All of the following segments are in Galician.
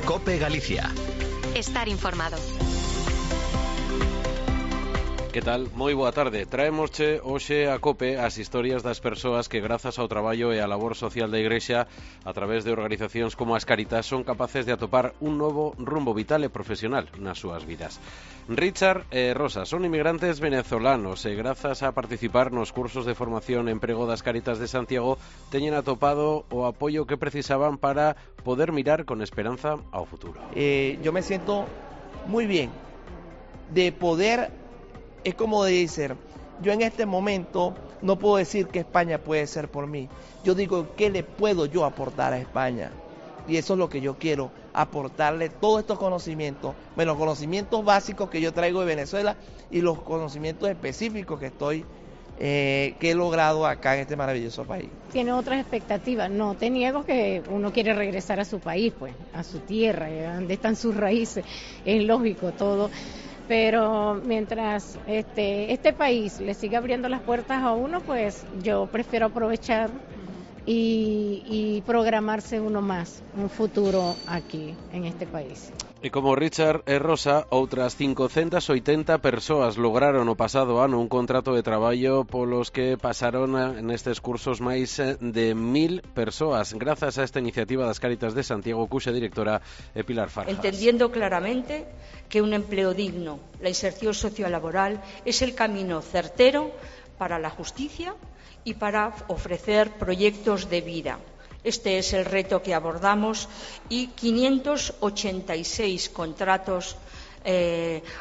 COPE Galicia. Estar informado. Que tal? Moi boa tarde. Traémosche hoxe a COPE as historias das persoas que grazas ao traballo e á labor social da Igrexa a través de organizacións como as Cáritas son capaces de atopar un novo rumbo vital e profesional nas súas vidas. Richard e Rosa son inmigrantes venezolanos e grazas a participar nos cursos de formación e emprego das Cáritas de Santiago teñen atopado o apoio que precisaban para poder mirar con esperanza ao futuro. Yo me siento muy bien de poder. Es como decir, yo en este momento no puedo decir que España puede ser por mí. Yo digo, ¿qué le puedo yo aportar a España? Y eso es lo que yo quiero, aportarle todos estos conocimientos, los conocimientos básicos que yo traigo de Venezuela y los conocimientos específicos que he logrado acá en este maravilloso país. Tiene otras expectativas. No te niego que uno quiere regresar a su país, pues, a su tierra, donde están sus raíces. Es lógico todo. Pero mientras este país le siga abriendo las puertas a uno, pues yo prefiero aprovechar y programarse uno más, un futuro aquí en este país. E como Richard e Rosa, outras 580 persoas lograron o pasado ano un contrato de traballo polos que pasaron nestes cursos máis de 1000 persoas, grazas a esta iniciativa das Cáritas de Santiago, cuxa directora é Pilar Farjas. Entendiendo claramente que un empleo digno, la inserción sociolaboral, es el camino certero para la justicia y para ofrecer proyectos de vida. Este es el reto que abordamos y 586 contratos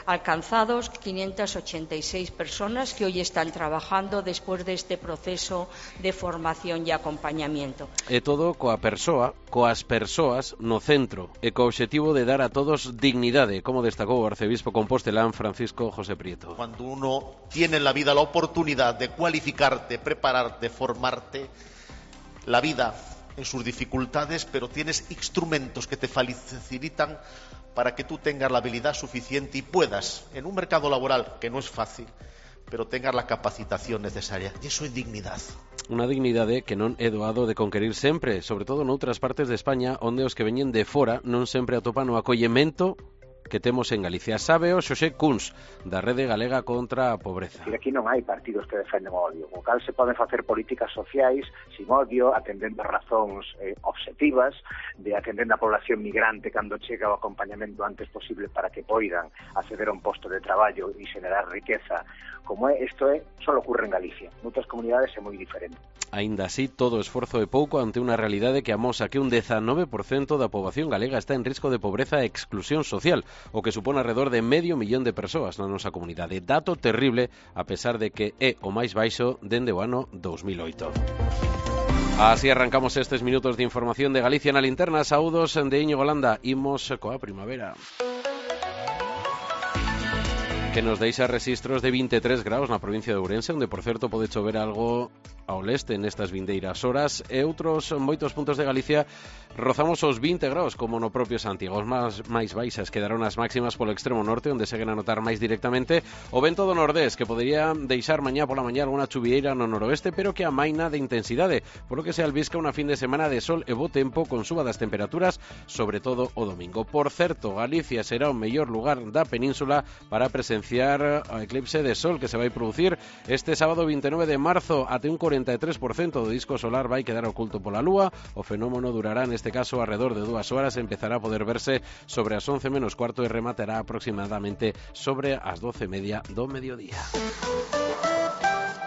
alcanzados, 586 personas que hoy están trabajando después de este proceso de formación y acompañamiento. E todo coas persoas no centro e co obxectivo de dar a todos dignidade, como destacou o arcebispo compostelán Francisco José Prieto. Cuando uno tiene en la vida la oportunidad de cualificarte, prepararte, formarte, la vida en sus dificultades, pero tienes instrumentos que te facilitan para que tú tengas la habilidad suficiente y puedas, en un mercado laboral que no es fácil, pero tengas la capacitación necesaria. E iso é dignidade. Unha dignidade que non é doado de conquerir sempre, sobre todo noutras partes de España, onde os que veñen de fora non sempre atopan o acollemento que temos en Galicia. Sabe o Xosé Kunz, da Rede Galega contra a Pobreza. Aquí non hai partidos que defenden o odio, co cal se poden facer políticas sociais sin odio, atendendo a razóns objetivas, de atendendo a población migrante cando chega o acompañamento antes posible para que poidan acceder a un posto de traballo e xenerar riqueza, como isto só ocurre en Galicia. Noutras comunidades é moi diferente. Aínda así, todo esforzo é pouco ante unha realidade que amosa que un 19% da poboación galega está en risco de pobreza e exclusión social, o que supón alrededor de 500.000 de persoas na nosa comunidade. Dato terrible, a pesar de que é o máis baixo dende o ano 2008. Así arrancamos estes minutos de información de Galicia na linterna. Saúdos de Íñigo Landa. Imos coa primavera, que nos deixa registros de 23 graus na provincia de Ourense, onde, por certo, pode chover algo ao leste nestas vindeiras horas, e outros moitos puntos de Galicia rozamos os 20 graus, como no propio Santiago. Os máis baixas quedaron as máximas polo extremo norte, onde seguen a notar máis directamente o vento do nordés, que podería deixar mañá pola mañá alguna chuvieira no noroeste, pero que amaina de intensidade, polo que se albisca unha fin de semana de sol e bo tempo, con suba das temperaturas, sobre todo o domingo. Por certo, Galicia será o mellor lugar da península para presenciar o eclipse de sol que se vai producir este sábado 29 de marzo. Até un 43% do disco solar vai quedar oculto pola lúa. O fenómeno durará neste caso alrededor de 2 horas, empezará a poder verse sobre as 11 menos cuarto e rematará aproximadamente sobre as 12:30 do mediodía.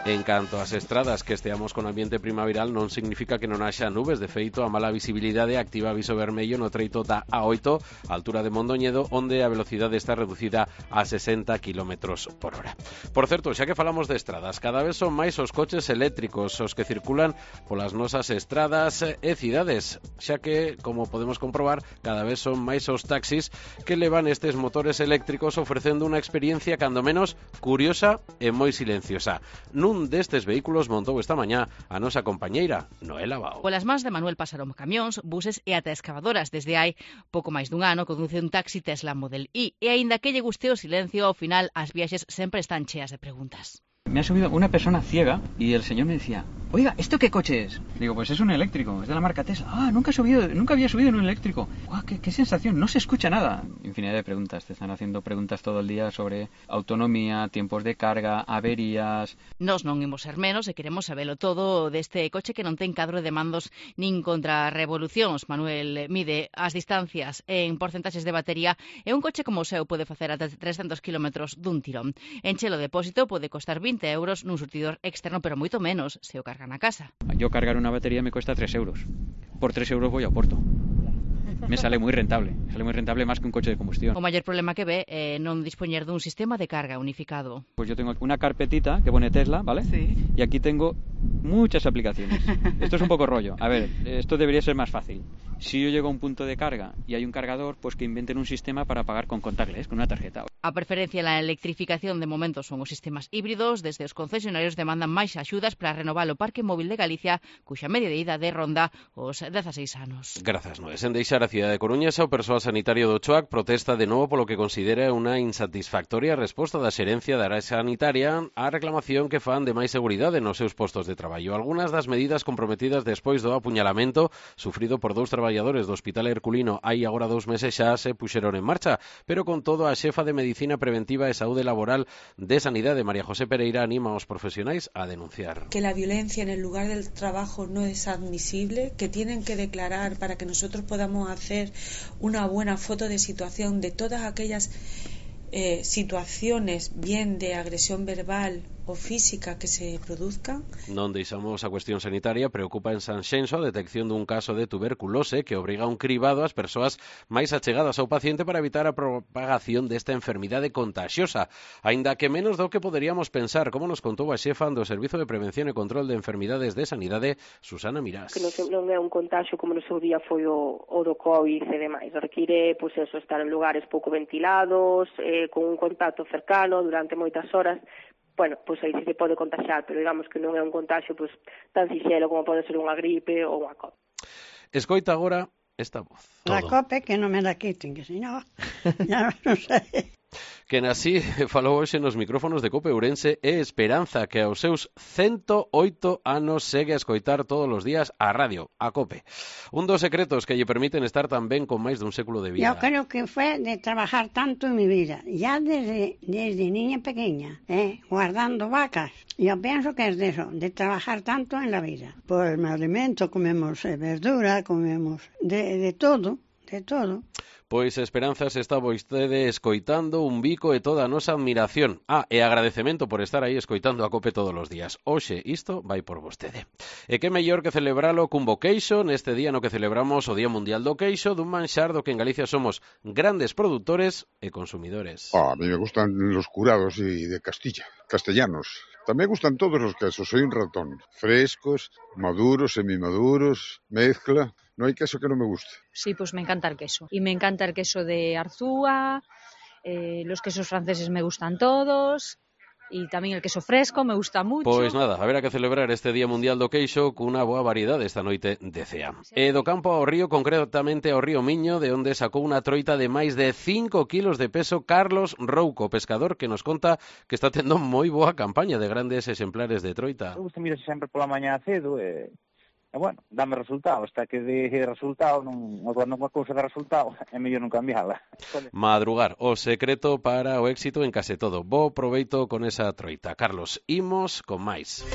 En canto ás estradas, que esteamos con ambiente primaveral non significa que non haxa nubes. De feito, a mala visibilidade activa aviso vermello no treito da A8, altura de Mondoñedo, onde a velocidade está reducida a 60 km por hora. Por certo, xa que falamos de estradas, cada vez son máis os coches eléctricos os que circulan polas nosas estradas e cidades, xa que, como podemos comprobar, cada vez son máis os taxis que levan estes motores eléctricos ofrecendo unha experiencia cando menos curiosa e moi silenciosa. Nun destes vehículos montou esta mañá a nosa compañeira Noela Bao. Polas mans de Manuel pasaron camións, buses e ata excavadoras. Desde hai pouco máis dun ano conduce un taxi Tesla Model Y, e aínda que lle guste o silencio, ao final as viaxes sempre están cheas de preguntas. Me ha subido una persona ciega y el señor me decía: oiga, ¿esto qué coche es? Digo, pues es un eléctrico, es de la marca Tesla. Ah, nunca había subido en un eléctrico. ¡Guau, qué sensación! No se escucha nada. Infinidad de preguntas. Te están haciendo preguntas todo el día sobre autonomía, tiempos de carga, averías. Nos non imos ser menos e queremos sabelo todo deste coche que non ten cadro de mandos nin contrarrevolucións. Manuel mide as distancias en porcentaxes de batería e un coche como o seu pode facer ata 300 km dun tirón. Enche o depósito pode costar 20 euros nun surtidor externo, pero moito menos se o cargan a casa. Yo cargar una batería me cuesta 3 euros. Por 3 euros voy a Oporto. Me sale muy rentable más que un coche de combustión. O maior problema que ve é non dispoñer dun sistema de carga unificado. Pues yo tengo una carpetita que pone Tesla, ¿vale? Sí. Y aquí tengo muchas aplicaciones. Esto es un poco rollo. A ver, esto debería ser más fácil. Si yo llego a un punto de carga y hay un cargador, pues que inventen un sistema para pagar con contactless, con una tarjeta. A preferencia na electrificación de momento son os sistemas híbridos. Desde os concesionarios demandan máis axudas para renovar o parque móvil de Galicia, cuxa media de ida de ronda os 16 anos. Grazas, Noé. Sen deixar a cidade de Coruña, o persoal sanitario do Choac protesta de novo polo que considera unha insatisfactoria resposta da xerencia da área sanitaria á reclamación que fan de máis seguridade nos seus postos de traballo. Algunhas das medidas comprometidas despois do apuñalamento sufrido por 2 traballadores do Hospital Herculino hai agora 2 meses xa se puxeron en marcha, pero con todo a xefa de Medicina Preventiva e Saúde Laboral de Sanidade, María José Pereira, anima aos profesionais a denunciar. Que la violencia en el lugar del trabajo no es admisible, que tienen que declarar para que nosotros podamos hacer una buena foto de situación de todas aquellas situaciones, bien de agresión verbal o física, que se produzcan. Non deixamos a cuestión sanitaria. Preocupa en Sanxenxo a detección dun caso de tuberculose que obriga a un cribado ás persoas máis achegadas ao paciente para evitar a propagación desta enfermidade contagiosa, aínda que menos do que poderíamos pensar, como nos contou a xefa do Servizo de Prevención e Control de Enfermidades de Sanidade, Susana Mirás. Que non é un contagio como no seu día foi o do COVID e demais. Require, pois eso, estar en lugares pouco ventilados, con un contacto cercano durante moitas horas. Bueno, pois aí se pode contagiar, pero digamos que non é un contagio pois tan sinxelo como pode ser unha gripe ou unha COVID. Escoita agora esta voz. La COPE que non me la quiten, que si no, ya non sei. Quen así falou hoxe nos micrófonos de Cope Ourense é Esperanza, que aos seus 108 anos segue a escoitar todos os días a radio, a Cope. Un dos secretos que lle permiten estar tan ben con máis dun século de vida. Yo creo que fue de trabajar tanto en mi vida, ya desde niña pequeña, guardando vacas. Yo pienso que es de eso, de trabajar tanto en la vida. Pues me alimento, comemos verdura, comemos de todo. De todo. Pois Esperanza, se está vostede escoitando, un bico e toda a nosa admiración. E agradecemento por estar aí escoitando a Cope todos os días. Hoxe isto vai por vostede. E que mellor que celebralo cun bo queixo neste día no que celebramos o Día Mundial do Queixo, dun manxar do que en Galicia somos grandes produtores e consumidores. A mí me gustan los curados y de Castilla, castellanos. También me gustan todos los quesos, soy un ratón. Frescos, maduros, semimaduros, mezcla. No hay queso que no me guste. Sí, pues me encanta el queso. Y me encanta el queso de Arzúa, los quesos franceses me gustan todos, y tamén el queso fresco me gusta mucho. Pois nada, haberá que celebrar este Día Mundial do Queixo cunha boa variedade esta noite de cea. E do campo ao río, concretamente ao río Miño, de onde sacou unha troita de máis de 5 kilos de peso Carlos Rouco, pescador, que nos conta que está tendo moi boa campaña de grandes exemplares de troita. Me gusta mirar sempre pola mañá cedo e bueno, dame resultado, hasta que de resultado, cando unha cousa de resultado, é mellor non cambiala. Madrugar, o secreto para o éxito en case todo. Bo proveito con esa troita. Carlos, imos con máis.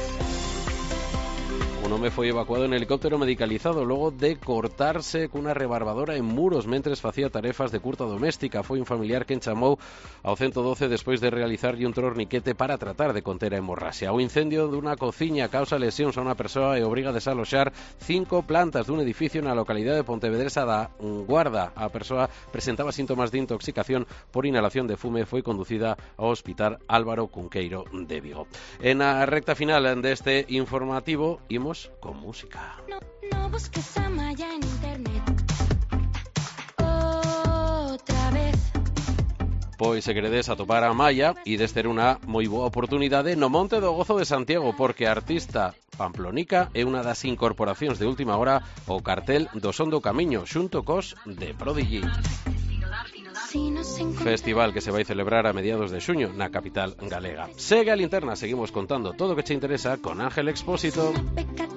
Un home foi evacuado en helicóptero medicalizado logo de cortarse cunha rebarbadora en Muros mentres facía tarefas de curta doméstica. Foi un familiar quen chamou ao 112 despois de realizarlle un torniquete para tratar de conter a hemorraxia. O incendio dunha cociña causa lesións a unha persoa e obriga a desaloxar 5 plantas dun edificio na localidade de Pontevedresa da Guarda. A persoa presentaba síntomas de intoxicación por inhalación de fume e foi conducida ao Hospital Álvaro Cunqueiro de Vigo. En a recta final deste informativo, imos con música. No busques a Maya en internet. Otra vez. Pois se queredes atopar a Maya, ides ter unha moi boa oportunidade no Monte do Gozo de Santiago, porque a artista pamplonica é unha das incorporacións de última hora ao cartel do Son do Camiño, xunto cos de Prodigy. Si nos encontramos Festival que se vai celebrar a mediados de xuño na capital galega. Segue a Linterna, seguimos contando todo o que che interesa con Ángel Expósito. pecata